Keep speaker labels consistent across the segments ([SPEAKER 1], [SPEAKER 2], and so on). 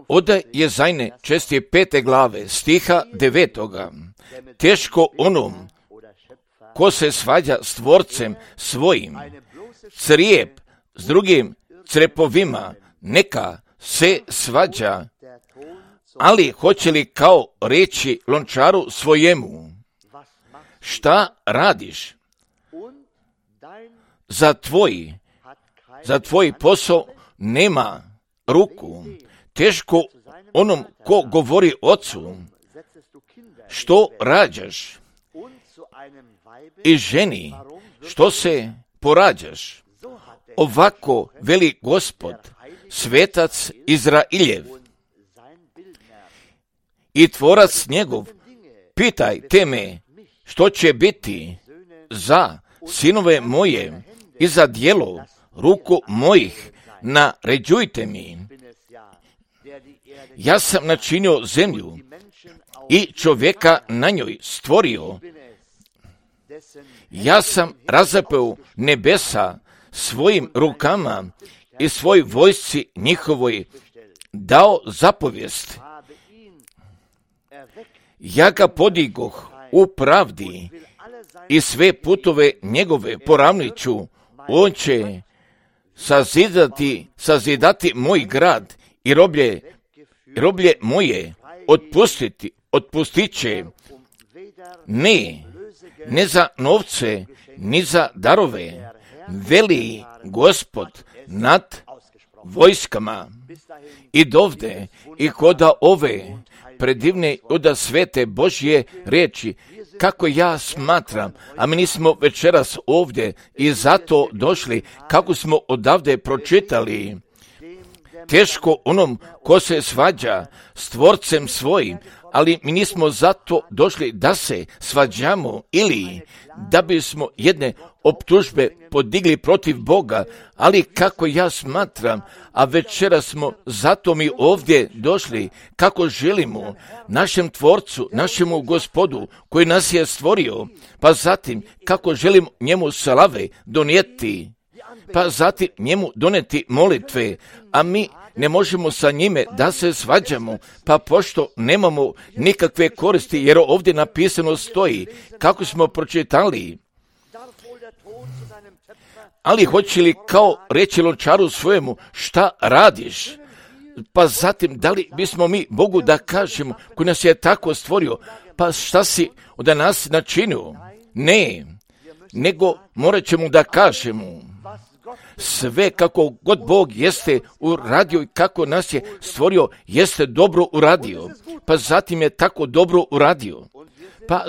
[SPEAKER 1] Od Jezajne 5. glave, stiha 9. Teško onom ko se svađa s tvorcem svojim, crijep s drugim crepovima, neka se svađa, ali hoće li kao reći lončaru svojemu, šta radiš? Za tvoj posao nema ruku. Teško onom ko govori ocu, što rađaš? I ženi, što se porađaš? Ovako veli Gospod, svetac Izrailjev i tvorac njegov, pitajte me što će biti za sinove moje i za djelo ruku mojih, naređujte mi. Ja sam načinio zemlju i čovjeka na njoj stvorio. Ja sam razapeo nebesa svojim rukama i svoj vojsci njihovoj dao zapovijest. Ja ga podigoh u pravdi i sve putove njegove poravnit ću. On će sazidati moj grad i roblje moje otpustit će. Ne za novce, ni za darove, veli Gospod nad vojskama. I dovde i koda ove predivne oda svete Božje riječi, kako ja smatram, a mi nismo večeras ovdje i zato došli, kako smo odavde pročitali, teško onom ko se svađa s tvorcem svojim, ali mi nismo zato došli da se svađamo ili da bismo jedne optužbe podigli protiv Boga, ali kako ja smatram, a večeras smo zato mi ovdje došli, kako želimo našem tvorcu, našemu Gospodu koji nas je stvorio, pa zatim kako želimo njemu slave donijeti, pa zatim njemu doneti molitve, a mi ne možemo sa njime da se svađamo, pa pošto nemamo nikakve koristi, jer ovdje napisano stoji, kako smo pročitali, ali hoće li kao reći lončaru svojemu, šta radiš? Pa zatim, da li bismo mi Bogu da kažemo, koji nas je tako stvorio, pa šta si od nas načinio? Ne, nego morat ćemo da kažemo, sve kako god Bog jeste uradio i kako nas je stvorio, jeste dobro uradio. Pa zatim je tako dobro uradio. Pa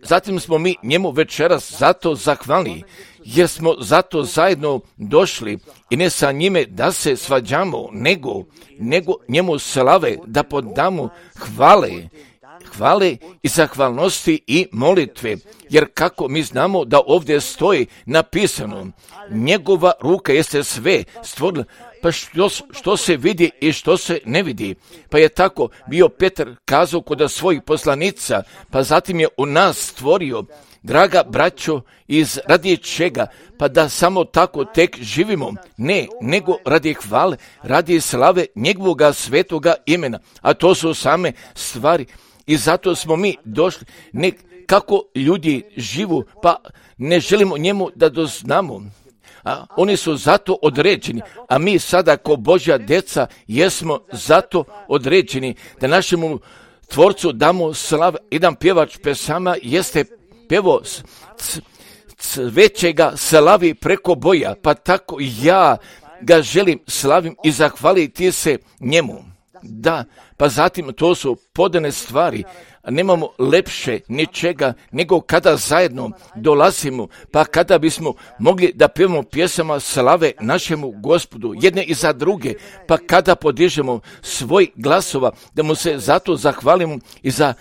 [SPEAKER 1] zatim smo mi njemu večeras zato zahvalni, jer smo zato zajedno došli i ne sa njime da se svađamo, nego njemu slave da podamo hvale i zahvalnosti i molitve, jer kako mi znamo da ovdje stoji napisano, njegova ruka jeste sve stvorila, pa što se vidi i što se ne vidi. Pa je tako bio Petar kazao kod svojih poslanica, pa zatim je u nas stvorio, draga braćo, radi čega? Pa da samo tako tek živimo? Ne, nego radi hvale, radi slave njegovoga svetoga imena, a to su same stvari. I zato smo mi došli, kako ljudi živu, pa ne želimo njemu da doznamo. A oni su zato određeni, a mi sada kao Božja djeca jesmo zato određeni da našemu Tvorcu damo slavu. Jedan pjevač pesama jeste pjevo većega slavi preko boja, pa tako ja ga želim slavim i zahvaliti se njemu. Da, pa zatim to su podane stvari, nemamo lepše ničega nego kada zajedno dolazimo, pa kada bismo mogli da pjevamo pjesama slave našemu Gospodu, jedne i za druge, pa kada podižemo svoj glasova, da mu se zato zahvalimo i za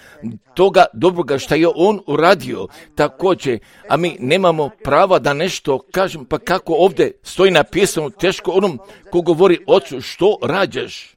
[SPEAKER 1] toga dobroga što je on uradio također, a mi nemamo prava da nešto kažemo, pa kako ovdje stoji napisano, teško onom ko govori ocu, što rađaš?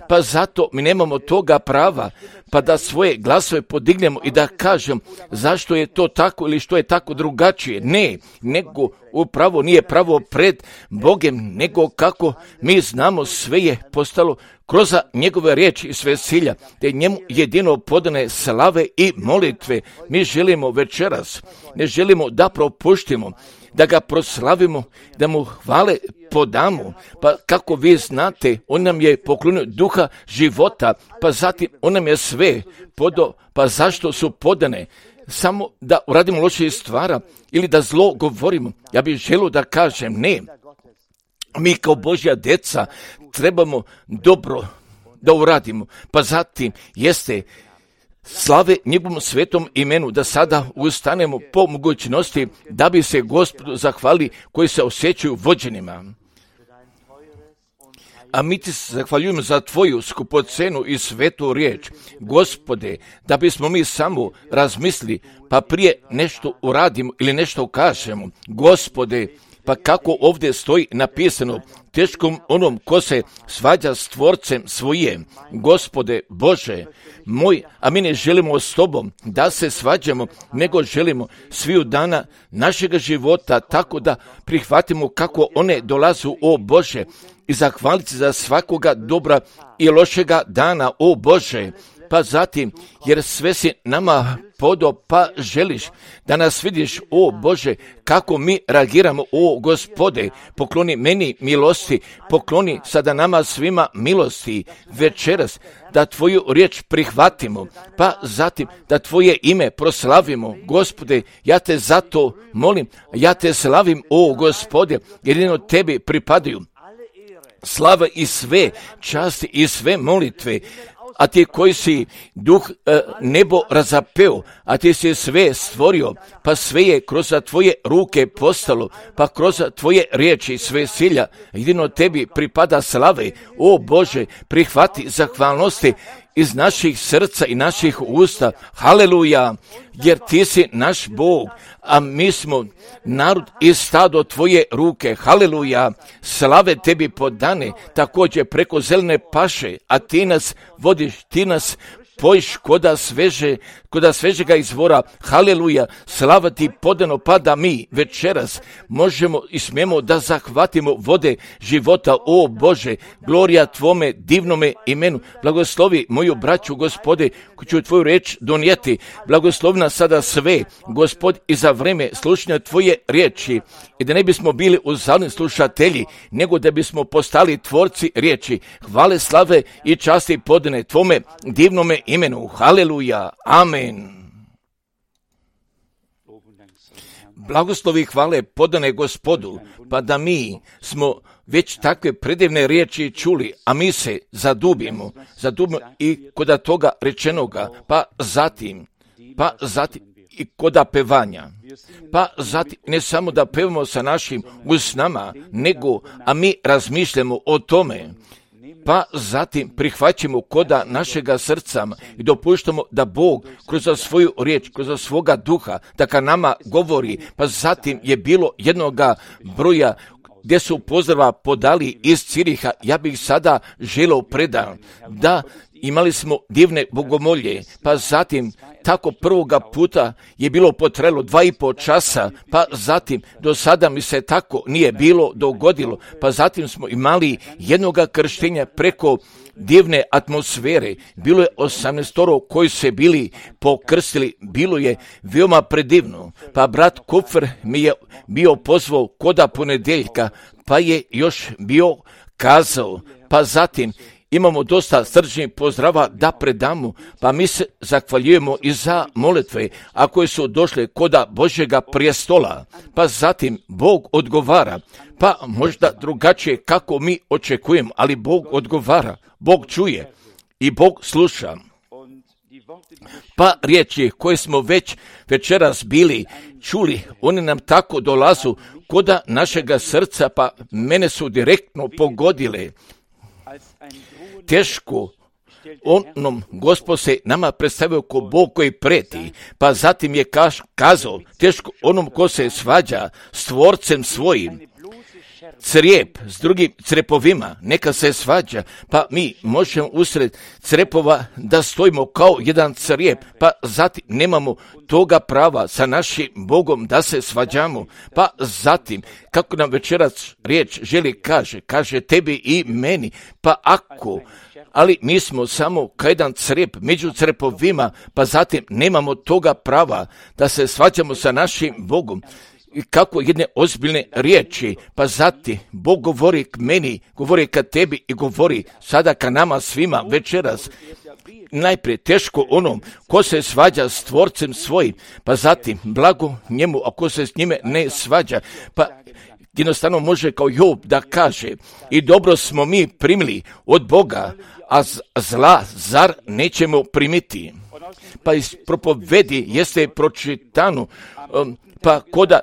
[SPEAKER 1] Pa pa zato mi nemamo toga prava, pa da svoje glasove podignemo i da kažem zašto je to tako ili što je tako drugačije. Ne, nego upravo nije pravo pred Bogem, nego kako mi znamo sve je postalo kroz njegove riječi i sve silja, te njemu jedino podane slave i molitve. Mi želimo večeras, ne želimo da propuštimo, da ga proslavimo, da mu hvale podamo, pa kako vi znate, on nam je poklonio duha života, pa zatim on nam je sve podao, pa zašto su podane? Samo da uradimo loše stvara ili da zlo govorimo. Ja bih želio da kažem ne. Mi kao Božja djeca trebamo dobro da uradimo, pa zatim jeste slave njegovom svetom imenu, da sada ustanemo po mogućnosti da bi se Gospodu zahvali koji se osjećaju vođenima. A mi ti se zahvaljujemo za tvoju skupocenu i svetu riječ, Gospode, da bismo mi samo razmislili, pa prije nešto uradimo ili nešto kažemo. Gospode, pa kako ovdje stoji napisano, teškom onom ko se svađa s tvorcem svoje. Gospode Bože moj, a mi ne želimo s tobom da se svađamo, nego želimo sviju dana našega života tako da prihvatimo kako one dolazu, o Bože, i zahvaliti za svakoga dobra i lošega dana, o Bože. Pa zatim, jer sve si nama podao, pa želiš da nas vidiš, o Bože, kako mi reagiramo, o Gospode, pokloni meni milosti, pokloni sada nama svima milosti večeras, da tvoju riječ prihvatimo, pa zatim da tvoje ime proslavimo. Gospode, ja te zato molim, ja te slavim, o Gospode, jedino tebi pripadaju slava i sve časti i sve molitve, a ti koji si duh nebo razapeo, a ti si sve stvorio, pa sve je kroz tvoje ruke postalo, pa kroz tvoje riječi sve silja, jedino tebi pripada slave, o Bože, prihvati zahvalnosti iz naših srca i naših usta, haleluja, jer ti si naš Bog, a mi smo narod i stado tvoje ruke, haleluja, slave tebi podane, također preko zelene paše, a ti nas vodiš, ti nas pojiš koda svežega izvora, haleluja, slava ti podano, pa da mi večeras možemo i smijemo da zahvatimo vode života, o Bože, glorija tvome divnome imenu, blagoslovi moju braću, Gospode, koji ću tvoju reč donijeti, blagoslovi nas sada sve, Gospod, i za vreme slušanja tvoje riječi, i da ne bismo bili uzalni slušatelji, nego da bismo postali tvorci riječi, hvale, slave i časti podane tvome divnome imenu, haleluja, amen. Blagoslovi hvale podane Gospodu, pa da mi smo već takve predivne riječi čuli, a mi se zadubimo i kod toga rečenoga, pa zatim i koda pevanja, pa zatim ne samo da pevamo sa našim usnama, nego, a mi razmišljamo o tome, pa zatim prihvaćamo koda našega srca i dopuštamo da Bog kroz svoju riječ, kroz svoga duha, da ka nama govori, pa zatim je bilo jednoga broja gdje su pozdrava podali iz Ciriha, ja bih sada želio predan, da imali smo divne bogomolje, pa zatim tako prvoga puta je bilo potrajalo 2,5 časa, pa zatim do sada mi se tako nije bilo dogodilo, pa zatim smo imali jednoga krštenja preko divne atmosfere, bilo je 18 koji se bili pokrstili, bilo je veoma predivno, pa brat Kupfer mi je bio pozvao koda ponedeljka, pa je još bio kazao, pa zatim imamo dosta srčnih pozdrava da predamo, pa mi se zahvaljujemo i za molitve, a koje su došle koda Božjega prijestola, pa zatim Bog odgovara, pa možda drugačije kako mi očekujemo, ali Bog odgovara, Bog čuje i Bog sluša. Pa riječi koje smo večeras bili čuli, one nam tako dolazu koda našega srca, pa mene su direktno pogodile. Teško onom Gospod se nama predstavio ko Bog koji preti, pa zatim je kazao teško onom ko se svađa s tvorcem svojim. crijep s drugim crepovima, neka se svađa, pa mi možemo usred crepova da stojimo kao jedan crijep, pa zatim nemamo toga prava sa našim Bogom da se svađamo, pa zatim, kako nam večeras riječ želi kaže tebi i meni, pa ali mi smo samo kao jedan crijep među crepovima, pa zatim nemamo toga prava da se svađamo sa našim Bogom. I kako jedne ozbiljne riječi, pa zatim Bog govori k meni, govori ka tebi i govori sada ka nama svima večeras. Najprije teško onom ko se svađa s tvorcem svojim, pa zatim blago njemu ako se s njime ne svađa, pa jednostavno može kao Job da kaže i dobro smo mi primili od Boga, a zla zar nećemo primiti. Pa iz propovedi jeste pročitano, pa koda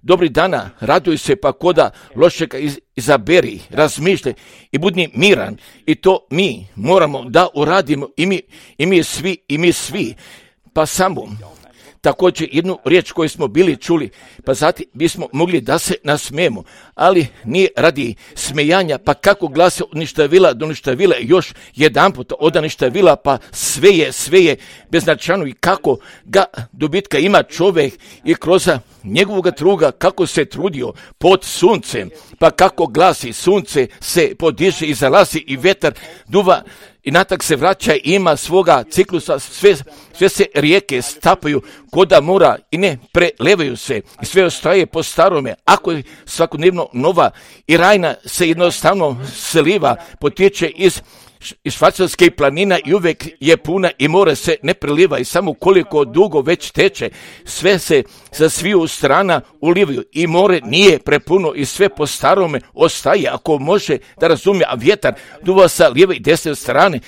[SPEAKER 1] dobri dana raduj se, pa koda lošega izaberi, razmišljaj i budi miran. I to mi moramo da uradimo i mi svi. Pa samo također jednu riječ koju smo bili čuli, pa zatim bismo mogli da se nasmijemo, ali nije radi smejanja, pa kako glase od ništavila do ništavila još jedan puta od ništavila, pa sve je beznačajno i kako ga dobitka ima čovjek i kroz njegovog truga kako se trudio pod suncem, pa kako glasi sunce se podiže i zalazi i vetar duva i natak se vraća i ima svoga ciklusa, sve se rijeke stapaju koda mora i ne prelevaju se i sve ostaje po starome. Ako je svakodnevno nova i rajna se jednostavno sliva, potječe iz švajcarskih planina i uvijek je puna i more se ne preliva i samo koliko dugo već teče, sve se sa sviju strana ulivaju i more nije prepuno i sve po starome ostaje, ako može da razumije, a vjetar duva sa lijeve i desne strane,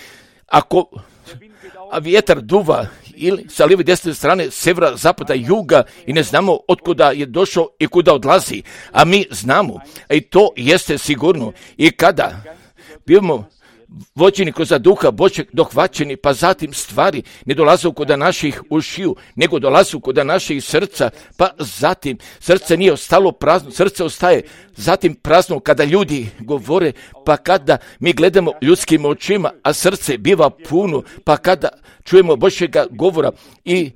[SPEAKER 1] a vjetar duva ili sa lijeve i desne strane, severa, zapada, juga i ne znamo otkuda je došao i kuda odlazi, a mi znamo, i to jeste sigurno. I kada bivamo vođeni kroz duha Božeg dohvaćeni, pa zatim stvari ne dolaze kod naših ušiju, nego dolaze kod naših srca, pa zatim srce nije ostalo prazno, srce ostaje zatim prazno kada ljudi govore, pa kada mi gledamo ljudskim očima, a srce biva puno, pa kada čujemo Božjega govora i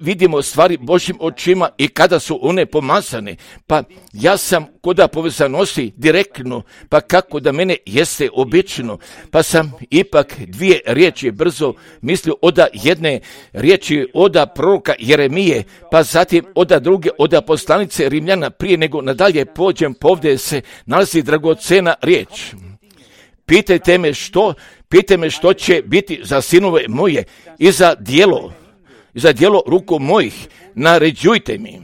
[SPEAKER 1] vidimo stvari Božjim očima i kada su one pomazane, pa ja sam koda povezanosti direktno, pa kako da mene jeste obično, pa sam ipak dvije riječi brzo mislio oda jedne riječi oda proroka Jeremije, pa zatim oda druge oda poslanice Rimljana, prije nego nadalje pođem, povdje se nalazi dragocena riječ. Pitajte me što će biti za sinove moje i za djelo ruku mojih, naređujte mi.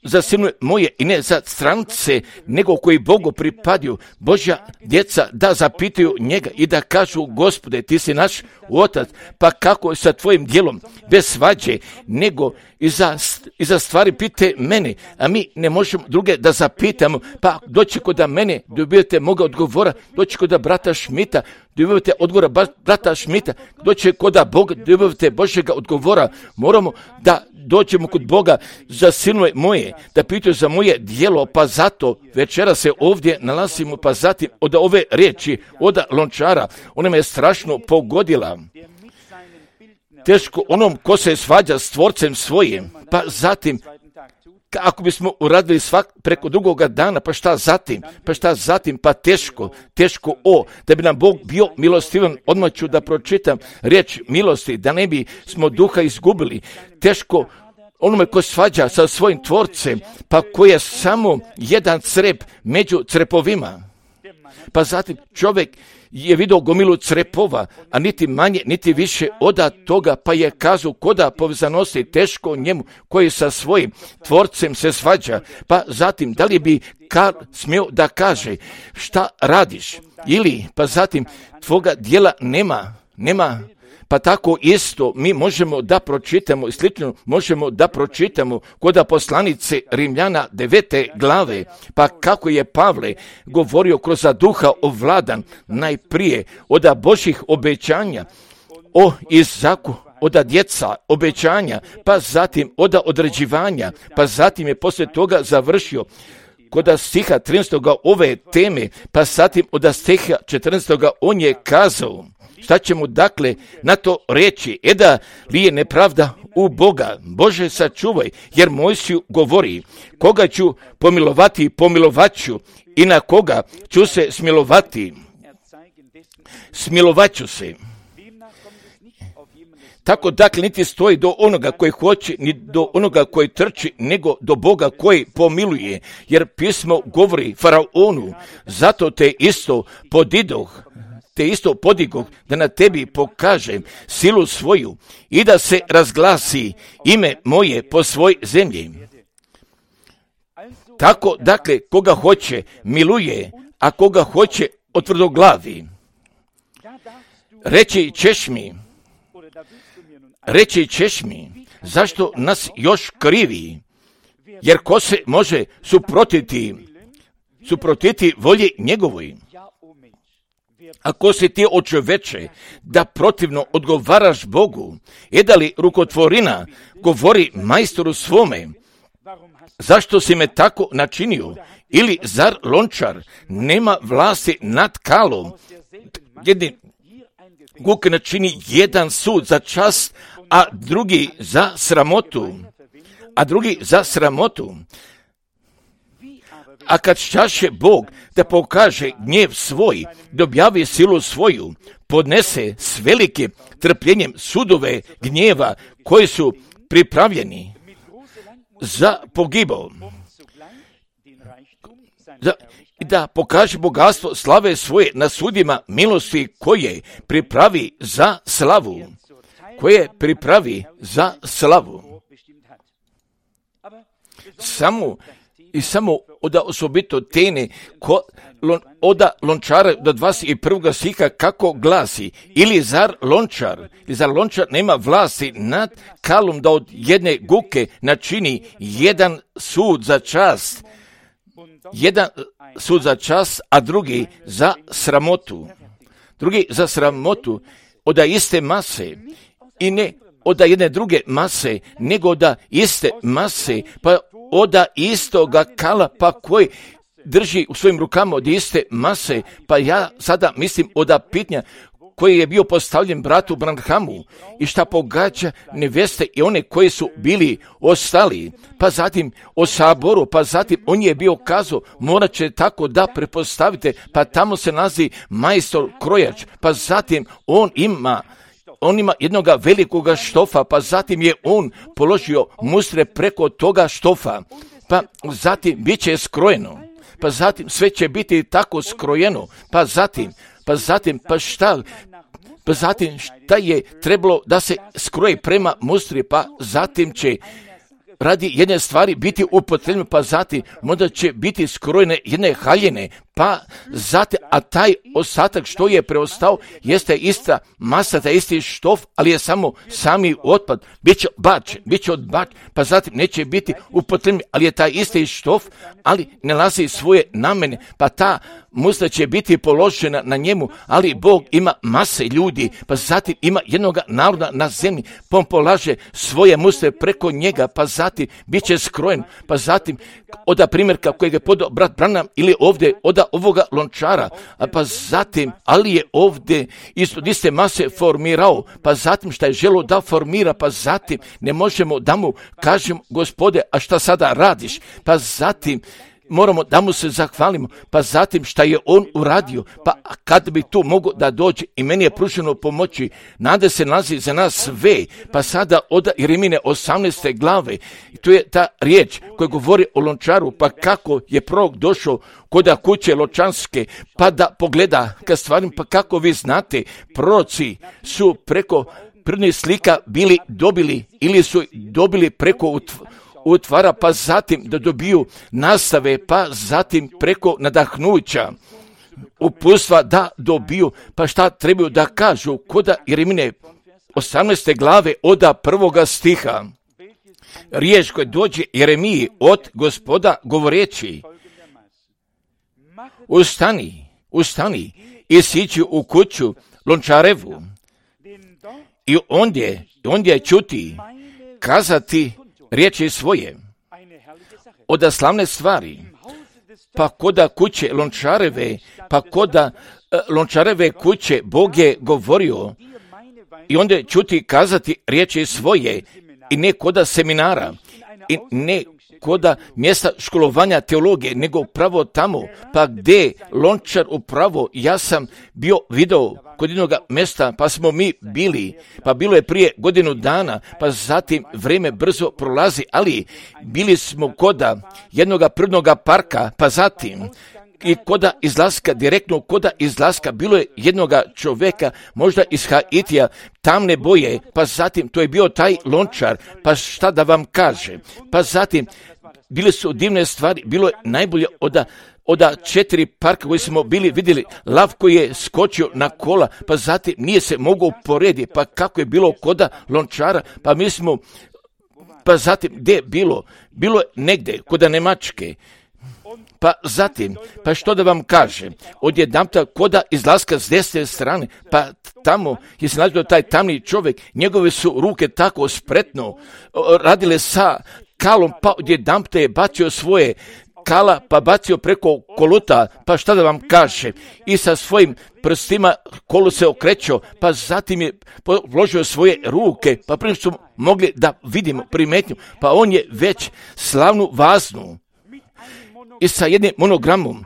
[SPEAKER 1] Za sinove moje i ne za strance, nego koji Bogu pripadaju, Božja djeca da zapitaju njega i da kažu Gospode, ti si naš otac, pa kako je sa tvojim djelom, bez svađe, nego i za stvari pite mene, a mi ne možemo druge da zapitamo, pa doći kod mene, dobijete moga odgovora, doći kod brata Šmita, dobivate odgovora brata Šmita, doći kod Boga, dobivate Božjega odgovora. Moramo da dođemo kod Boga za sinove moje, da pitaju za moje djelo, pa zato večera se ovdje nalazimo, pa zatim od ove riječi, od Lončara, ona me je strašno pogodila. Teško onom ko se svađa s tvorcem svojim, pa zatim ako bismo uradili preko drugoga dana, pa šta zatim, pa teško da bi nam Bog bio milostivan. Odmah ću da pročitam riječ milosti, da ne bi smo duha izgubili. Teško onome ko svađa sa svojim tvorcem, pa ko je samo jedan crep među crepovima. Pa zatim čovjek je vidio gomilu crepova, a niti manje, niti više od toga, pa je kazao koda povezanosti teško njemu koji sa svojim tvorcem se svađa. Pa zatim, da li bi smio da kaže šta radiš? Ili, pa zatim, tvoga djela nema. Pa tako isto mi možemo da pročitamo i slično možemo da pročitamo kod poslanice Rimljana 9. glave, pa kako je Pavle govorio kroz duha ovladan najprije od Božjih obećanja o Izaku oda djeca, obećanja, pa zatim oda određivanja, pa zatim je poslije toga završio kod stiha 13. ove teme, pa zatim od stiha 14. on je kazao, šta će mu dakle na to reći, da li je nepravda u Boga, Bože sačuvaj, jer Mojsiju govori, koga ću pomilovati, pomilovat ću, i na koga ću se smilovati, smilovat ću se. Tako dakle niti stoji do onoga koji hoće, ni do onoga koji trči, nego do Boga koji pomiluje, jer pismo govori faraonu, zato te isto podigoh da na tebi pokažem silu svoju i da se razglasi ime moje po svoj zemlji. Tako dakle koga hoće miluje, a koga hoće otvrdoglavi. Reći ćeš mi, zašto nas još krivi, jer ko se može suprotiti volji njegovoj? Ako si ti o čoveče da protivno odgovaraš Bogu, da li rukotvorina govori majstoru svome, zašto si me tako načinio? Ili zar lončar nema vlasti nad kalom? Jedni guk načini jedan sud za čast, a drugi za sramotu. A kad šćaše Bog da pokaže gnjev svoj, da objavi silu svoju, podnese s velikim trpljenjem sudove gnjeva koji su pripravljeni za pogibao. Da pokaže bogatstvo slave svoje na sudima milosti koje pripravi za slavu. Samo od osobito tene od lončara do 21. stiha kako glasi, ili zar lončar nema vlasti nad kalom da od jedne guke načini jedan sud za čast, a drugi za sramotu, od iste mase, i ne od jedne druge mase, nego od iste mase, pa od istoga kala, pa koji drži u svojim rukama od iste mase, pa ja sada mislim od pitanja koji je bio postavljen bratu Branhamu i šta pogađa neveste i one koji su bili ostali, pa zatim o saboru, pa zatim on je bio kazao, morat će tako da prepostavite, pa tamo se nalazi majstor krojač, pa zatim on ima jednoga velikoga štofa, pa zatim je on položio mustre preko toga štofa, pa zatim bit će skrojeno, pa zatim sve će biti tako skrojeno, pa zatim šta je trebalo da se skroji prema mustri, pa zatim će radi jedne stvari biti upotrebljeno, pa zatim možda će biti skrojene jedne haljine, pa zatim, a taj ostatak što je preostao jeste ista masa, taj isti štof, ali je samo sami otpad, bit će odbačen, pa zatim neće biti upotrebljen, ali je taj isti štof, ali ne nalazi svoje namene, pa ta mustra će biti položena na njemu, ali Bog ima mase ljudi, pa zatim ima jednoga naroda na zemlji, pa on polaže svoje mustre preko njega, pa zatim bit će skrojen, pa zatim od primjerka kojeg je podao brat Branham ili ovdje od ovoga lončara, pa zatim, ali je ovdje isto iste mase formirao, pa zatim šta je želo da formira, pa zatim ne možemo da mu kažem, Gospode, a šta sada radiš, pa zatim moramo da mu se zahvalimo, pa zatim šta je on uradio, pa kad bi tu mogo da dođe i meni je pruženo pomoći, nade se nalazi za nas sve, pa sada od Jeremine 18. glave, tu je ta riječ koja govori o lončaru, pa kako je prorok došao kod kuće lončarske, pa da pogleda ka stvarima, pa kako vi znate, proroci su preko prvnih slika bili dobili ili su dobili preko utvara, pa zatim da dobiju nastave, pa zatim preko nadahnuća uputstva da dobiju, pa šta trebaju da kažu kod Jeremine 18. glave od 1. stiha. Riječ koja dođe Jeremiji od Gospoda govoreći, ustani i siđi u kuću lončarevu i ondje čuti kazati riječi svoje od slavne stvari, pa koda kuće Lončareve, pa koda Lončareve kuće Bog je govorio i onda čuti kazati riječi svoje i ne koda seminara i ne koda mjesta školovanja teologije, nego pravo tamo, pa gdje Lončar upravo, ja sam bio video kod jednog mjesta, pa smo mi bili, pa bilo je prije godinu dana, pa zatim vrijeme brzo prolazi, ali bili smo koda jednog prirodnog parka, pa zatim i koda izlaska, direktno koda izlaska, bilo je jednoga čovjeka, možda iz Haitija, tamne boje, pa zatim to je bio taj Lončar, pa šta da vam kaže, pa zatim bile su divne stvari, bilo je najbolje od 4 parka koji smo bili vidjeli, lav koji je skočio na kola, pa zatim nije se mogao uporediti, pa kako je bilo koda Lončara, pa mi smo, pa zatim gdje je bilo je negdje koda Njemačke, pa zatim, pa što da vam kažem, odjedanputa koda izlaska s desne strane, pa tamo je se nalazio taj tamni čovjek, njegove su ruke tako spretno radile sa kalom, pa odjedanputa je bacio svoje kala, pa bacio preko koluta, pa šta da vam kaže, i sa svojim prstima kolo se okrećao, pa zatim je vložio svoje ruke, pa prije što smo mogli da vidimo primetnju, pa on je već slavnu vaznu i sa jednim monogramom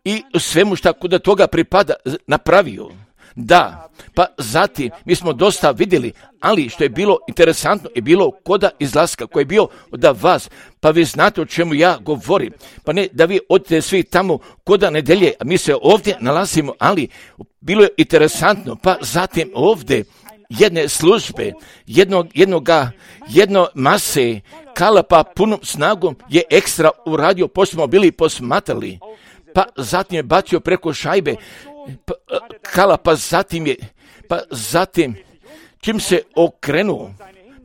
[SPEAKER 1] i svemu šta kod toga pripada napravio. Da, pa zatim mi smo dosta vidjeli, ali što je bilo interesantno je bilo koda izlaska koji je bio od vas, pa vi znate o čemu ja govorim, pa ne da vi odete svi tamo koda nedelje, a mi se ovdje nalazimo, ali bilo je interesantno, pa zatim ovdje jedne službe, jedno mase kala, pa punom snagom je ekstra uradio, pošto smo bili posmatrali, pa zatim je bacio preko šajbe kala, pa zatim čim se okrenuo,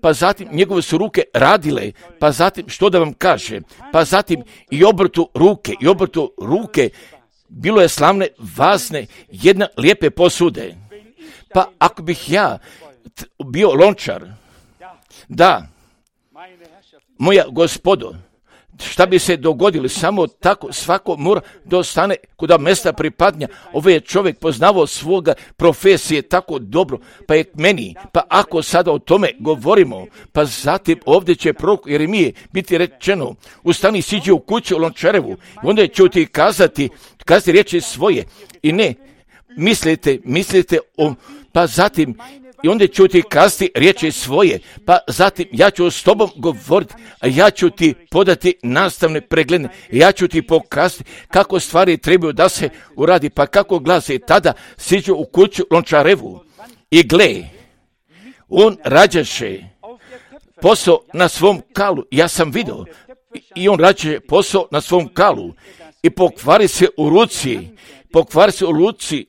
[SPEAKER 1] pa zatim njegove su ruke radile, pa zatim što da vam kaže, pa zatim i obrtu ruke, bilo je slavne, vazne, jedna lijepe posude. Pa ako bih ja bio Lončar, da, moja gospodo, šta bi se dogodilo, samo tako svako mora da ostane kuda mjesta pripadnja. Ovaj je čovjek poznavao svoga profesije tako dobro, pa je meni, pa ako sada o tome govorimo, pa zatim ovdje će prorok Jeremije biti rečeno, ustani, siđi u kuću Lončarevu, i onda će ti kazati riječi svoje, i ne, mislite o, pa zatim, i onda ću ti kazati riječi svoje, pa zatim ja ću s tobom govoriti, a ja ću ti podati nastavne preglede, ja ću ti pokazati kako stvari trebaju da se uradi, pa kako glase, tada siđu u kuću Lončarevu i gle, on rađaše posao na svom kalu, ja sam vidio, i on rađaše posao na svom kalu i pokvari se u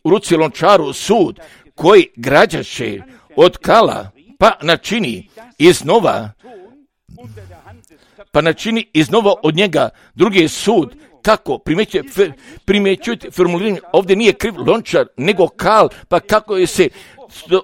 [SPEAKER 1] ruci Lončaru sud koji građaše od kala, pa načini iznova od njega drugi sud. Kako? Primjećujete formuliranje, ovdje nije kriv Lončar, nego kal, pa kako je se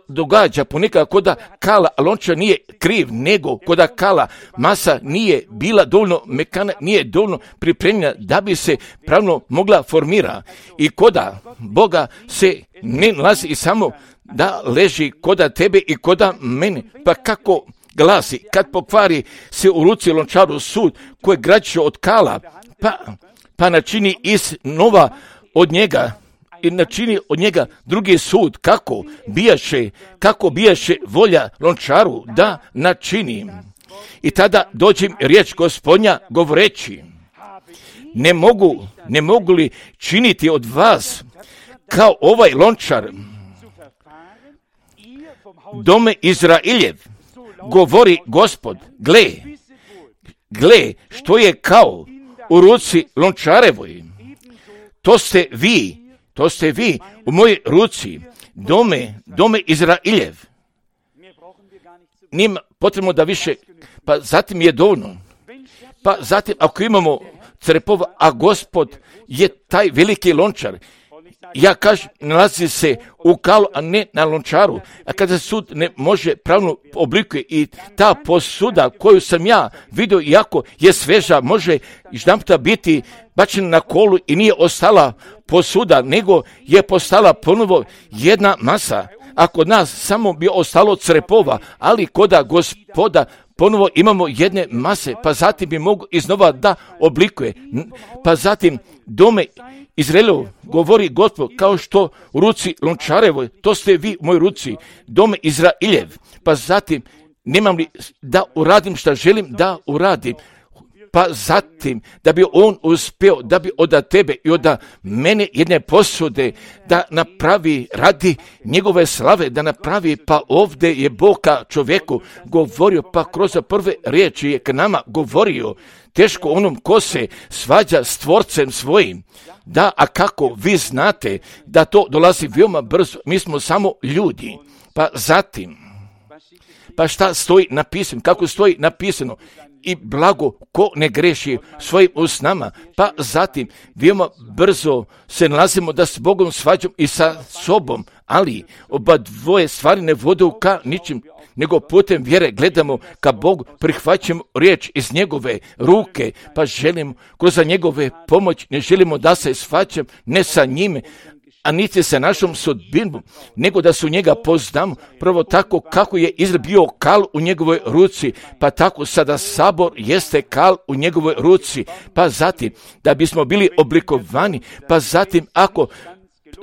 [SPEAKER 1] događa ponekad koda kala, a Lončar nije kriv, nego koda kala masa nije bila dovoljno mekana, nije dovoljno pripremljena da bi se pravno mogla formira. I koda Boga se ne nalazi i samo da leži koda tebe i koda mene, pa kako glasi, kad pokvari se u ruci Lončaru sud koji građe od kala, pa načini iznova od njega i načini od njega drugi sud, kako bijaše volja Lončaru da načini. I tada dođem riječ Gospodnja govoreći, ne mogu li činiti od vas kao ovaj Lončar, dome Izrailjev, govori Gospod, gle, što je kao u ruci Lončarevoj, to ste vi u mojoj ruci, dome Izrailjev. Njima potrebno da više, pa zatim je dovoljno. Pa zatim ako imamo crepova, a Gospod je taj veliki Lončar, ja kažem, nalazi se u kalu, a ne na lončaru. A kada sud ne može pravno oblikuje i ta posuda koju sam ja vidio, iako je sveža, može jedanputa biti bačena na kolu i nije ostala posuda, nego je postala ponovo jedna masa. A kod nas samo bi ostalo crepova, ali koda Gospoda ponovo imamo jedne mase, pa zatim bi mogu iznova da oblikuje. Pa zatim dome Izraelov, govori Gospod, kao što u ruci lončarevoj, to ste vi u mojoj ruci, dome Izraeljev. Pa zatim nemam li da uradim šta želim da uradim. Pa zatim, da bi on uspio, da bi od tebe i od mene jedne posude da napravi radi njegove slave, da napravi, pa ovdje je Bog ka čovjeku govorio, pa kroz prve riječi je k nama govorio, teško onom ko se svađa s Tvorcem svojim. Da, a kako vi znate da to dolazi veoma brzo, mi smo samo ljudi. Pa zatim, pa šta stoji napisano, kako stoji napisano, i blago ko ne greši svojim usnama, pa zatim veoma brzo se nalazimo da s Bogom svađamo i sa sobom, ali oba dvoje stvari ne vode ka ničim, nego putem vjere gledamo ka Bogu, prihvaćamo riječ iz njegove ruke, pa želimo kroz njegove pomoć, ne želimo da se svađam ne sa njime, a niti sa našom sudbinom, nego da su njega poznamo, prvo tako kako je Izrael bio kal u njegovoj ruci, pa tako sada sabor jeste kal u njegovoj ruci, pa zatim da bismo bili oblikovani, pa zatim ako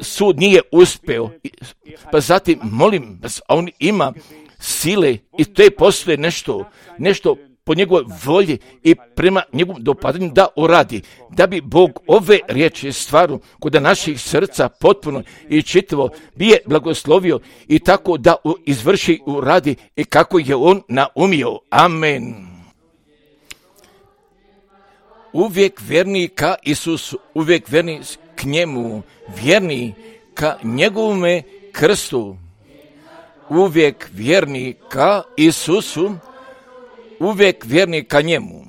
[SPEAKER 1] sud nije uspeo, pa zatim molim vas, a on ima sile i to je postoje nešto po njegovoj volji i prema njegovom dopadanju da uradi, da bi Bog ove riječi stvaru kod naših srca potpuno i čitavo bi je blagoslovio i tako da izvrši uradi i kako je on naumio. Amen. Uvijek vjerni ka Isusu, uvijek vjerni k njemu, vjerni ka njegovome krstu, uvijek vjerni ka Isusu, uvijek vjerni ka njemu,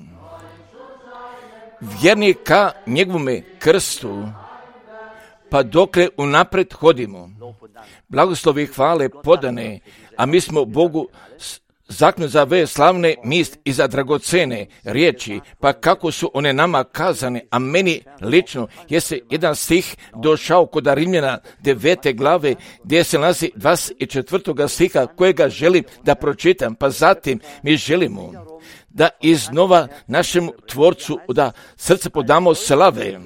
[SPEAKER 1] vjerni ka njegovome krstu, pa dokle unapred hodimo. Blagoslovi i hvale podane, a mi smo Bogu zaknu za ove slavne misli i za dragocene riječi, pa kako su one nama kazane, a meni lično jeste jedan stih došao kod Rimljana 9. glave, gdje se nalazi 24. stiha kojega želim da pročitam, pa zatim mi želimo da iznova našemu Tvorcu da srce podamo slave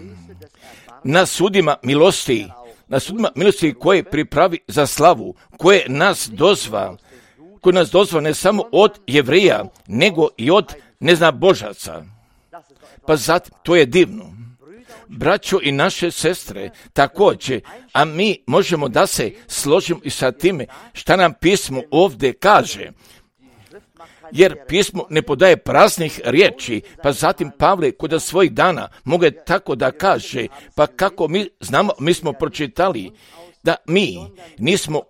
[SPEAKER 1] na sudima milosti, koje pripravi za slavu, koje nas dozva ne samo od Jevreja, nego i od neznabožaca. Pa zatim, to je divno. Braćo i naše sestre, također, a mi možemo da se složimo i sa time šta nam pismo ovdje kaže. Jer pismo ne podaje praznih riječi, pa zatim Pavle kod svojih dana mogu tako da kaže, pa kako mi znamo, mi smo pročitali da mi nismo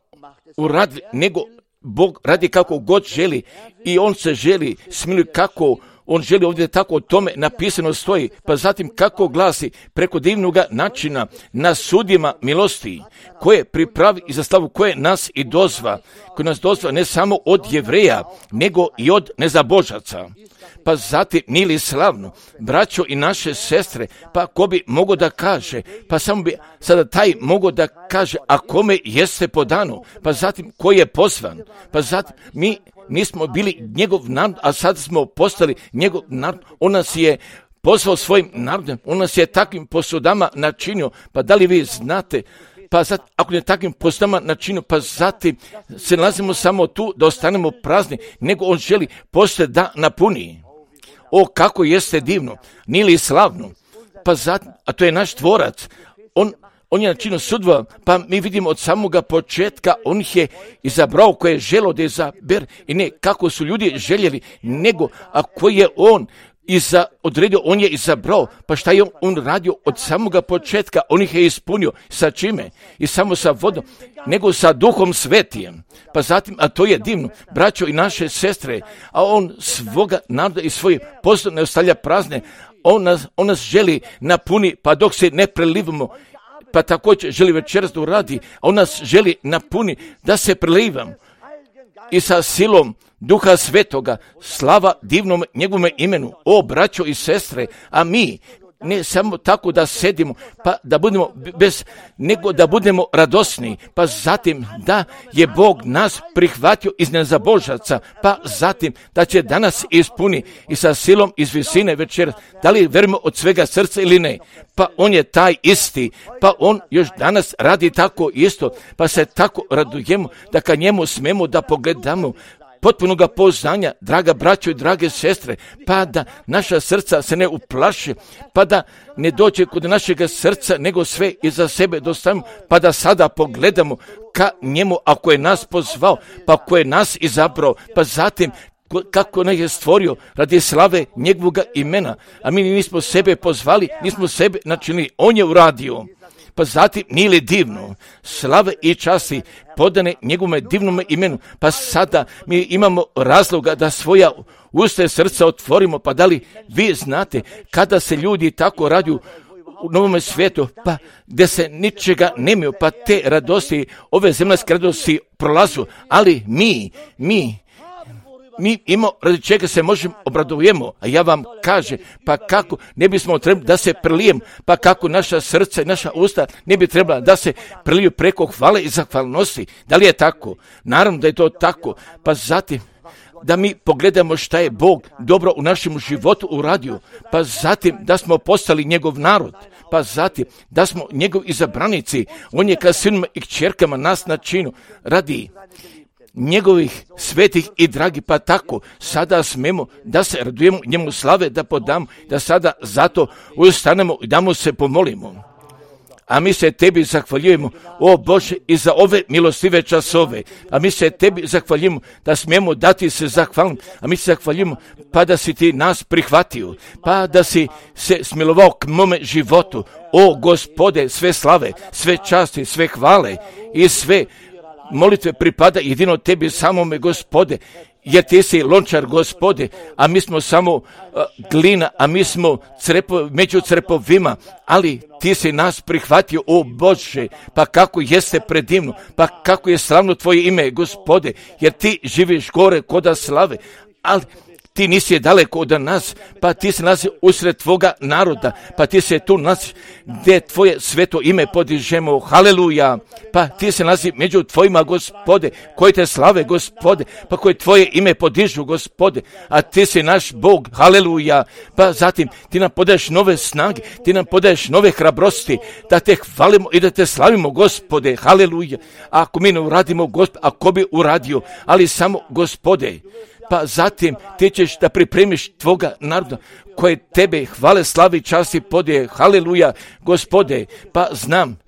[SPEAKER 1] uradili, nego Bog radi kako god želi i on se želi smiluje kako on želi, ovdje tako o tome napisano stoji, pa zatim kako glasi preko divnog načina na sudima milosti koje pripravi i za slavu koje nas i dozva, koje nas dozva ne samo od Jevreja, nego i od nezabožaca. Pa zatim nije li slavno, braćo i naše sestre, pa ko bi mogao da kaže, pa samo bi sada taj mogao da kaže, a kome jeste podano, pa zatim ko je pozvan, pa zatim mi nismo bili njegov narod, a sad smo postali njegov narod, on nas je pozvao svojim narodom, on nas je takvim posudama načinio, pa da li vi znate, pa zatim, ako ne takvim posudama načinio, pa zatim se nalazimo samo tu da ostanemo prazni, nego on želi poslije da napuni. O, kako jeste divno, nije li slavno, pa zatim, a to je naš Tvorac, on je načinio sudva, pa mi vidimo od samoga početka, on ih je izabrao koje je želo da izaber i ne kako su ljudi željeli, nego a koji je on odredio, on je izabrao, pa šta je on radio od samoga početka, on ih je ispunio, sa čime? I samo sa vodom, nego sa Duhom Svetijem. Pa zatim, a to je divno, braćo i naše sestre, a on svoga naroda i svoj poslov ne ostavlja prazne, on nas želi napuni, pa dok se ne prelivamo, pa također želi večeras da uradi, a on nas želi napuni da se prelivam i sa silom Duha Svetoga, slava divnom njegovome imenu, o braćo i sestre, a mi ne samo tako da sedimo, pa da budemo nego da budemo radosni, pa zatim da je Bog nas prihvatio iz nezabožaca, pa zatim da će danas ispuni i sa silom iz visine večera, da li verujemo od svega srca ili ne, pa on je taj isti, pa on još danas radi tako isto, pa se tako radujemo da ka njemu smemo da pogledamo potpunoga poznanja, draga braćo i drage sestre, pa da naša srca se ne uplaši, pa da ne dođe kod našega srca, nego sve iza sebe dostavimo, pa da sada pogledamo ka njemu, ako je nas pozvao, pa ako je nas izabrao, pa zatim kako nas je stvorio radi slave njegovoga imena, a mi nismo sebe pozvali, nismo sebe načinili, on je uradio. Pa zatim nije li divno, slave i časti podane njegovome divnome imenu, pa sada mi imamo razloga da svoja usta i srca otvorimo, pa da li vi znate kada se ljudi tako raduju u novome svijetu, pa gdje se ničega nemaju, pa te radosti, ove zemaljske radosti prolazu, ali mi imamo radi čega se možemo obradujemo, a ja vam kažem, pa kako ne bismo trebali da se prelijem, pa kako naša srca i naša usta ne bi trebala da se preliju preko hvale i zahvalnosti. Da li je tako? Naravno da je to tako, pa zatim da mi pogledamo šta je Bog dobro u našem životu uradio, pa zatim da smo postali njegov narod, pa zatim da smo njegov izabranici, on je ka sinima i kćerkama nas načinu radi njegovih svetih i dragi, pa tako sada smemo da se radujemo njemu slave, da podamo, da sada zato ustanemo i da mu se pomolimo. A mi se tebi zahvaljujemo, o Bože, i za ove milostive časove. A mi se tebi zahvaljujemo da smijemo dati se zahvalim. A mi se zahvaljujemo pa da si ti nas prihvatio, pa da si se smilovao k mome životu. O Gospode, sve slave, sve časti, sve hvale i sve molitve pripada jedino tebi samome, Gospode, jer ti si lončar, Gospode, a mi smo samo glina, a mi smo među crepovima, ali ti si nas prihvatio, o Bože, pa kako jeste predivno, pa kako je slavno tvoje ime, Gospode, jer ti živiš gore koda slave, ali ti nisi daleko od nas, pa ti se nalazi usred tvoga naroda, pa ti se tu nalazi gdje tvoje sveto ime podižemo, haleluja, pa ti se nalazi među tvojima, Gospode, koji te slave, Gospode, pa koje tvoje ime podižu, Gospode, a ti si naš Bog, haleluja, pa zatim ti nam podaješ nove snage, ti nam podaješ nove hrabrosti, da te hvalimo i da te slavimo, Gospode, haleluja, a ako mi ne uradimo, Gospode, ako bi uradio, ali samo, Gospode, pa zatim ti ćeš da pripremiš tvoga naroda koje tebe hvale, slavi, časti, podije, haleluja, Gospode, pa znam,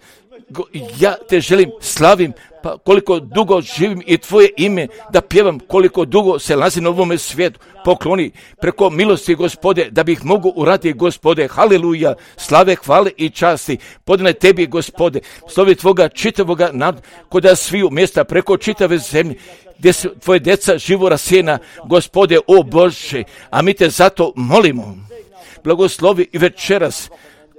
[SPEAKER 1] ja te želim, slavim, pa koliko dugo živim i tvoje ime da pjevam, koliko dugo se nalazim na ovome svijetu, pokloni preko milosti, Gospode, da bih mogu uraditi, Gospode, haleluja, slave, hvale i časti, podane tebi, Gospode, slovi tvoga čitavoga naroda, koda sviju mjesta preko čitave zemlje, gdje su tvoje djeca živo rasijena, Gospode, o Bože, a mi te zato molimo, blagoslovi i večeras,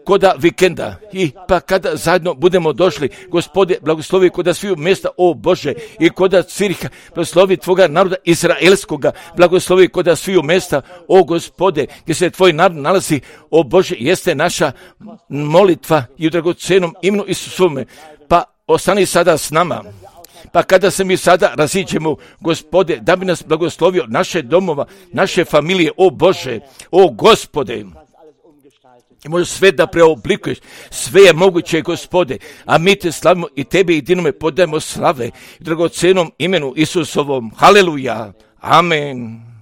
[SPEAKER 1] koda vikenda i pa kada zajedno budemo došli, Gospode, blagoslovi koda sviju mjesta, o Bože, i koda Ciriha, blagoslovi tvoga naroda izraelskoga, blagoslovi koda sviju mjesta, o Gospode, gdje se tvoj narod nalazi, o Bože, jeste naša molitva i u dragocenom imenu Isusovome, pa ostani sada s nama. Pa kada se mi sada raziđemo, Gospode, da bi nas blagoslovio naše domova, naše familije, o Bože, o Gospode, i možeš sve da preoblikuješ, sve je moguće, Gospode, a mi te slavimo i tebi jedinome podajemo slave u dragocenom imenu Isusovom. Haleluja, amen.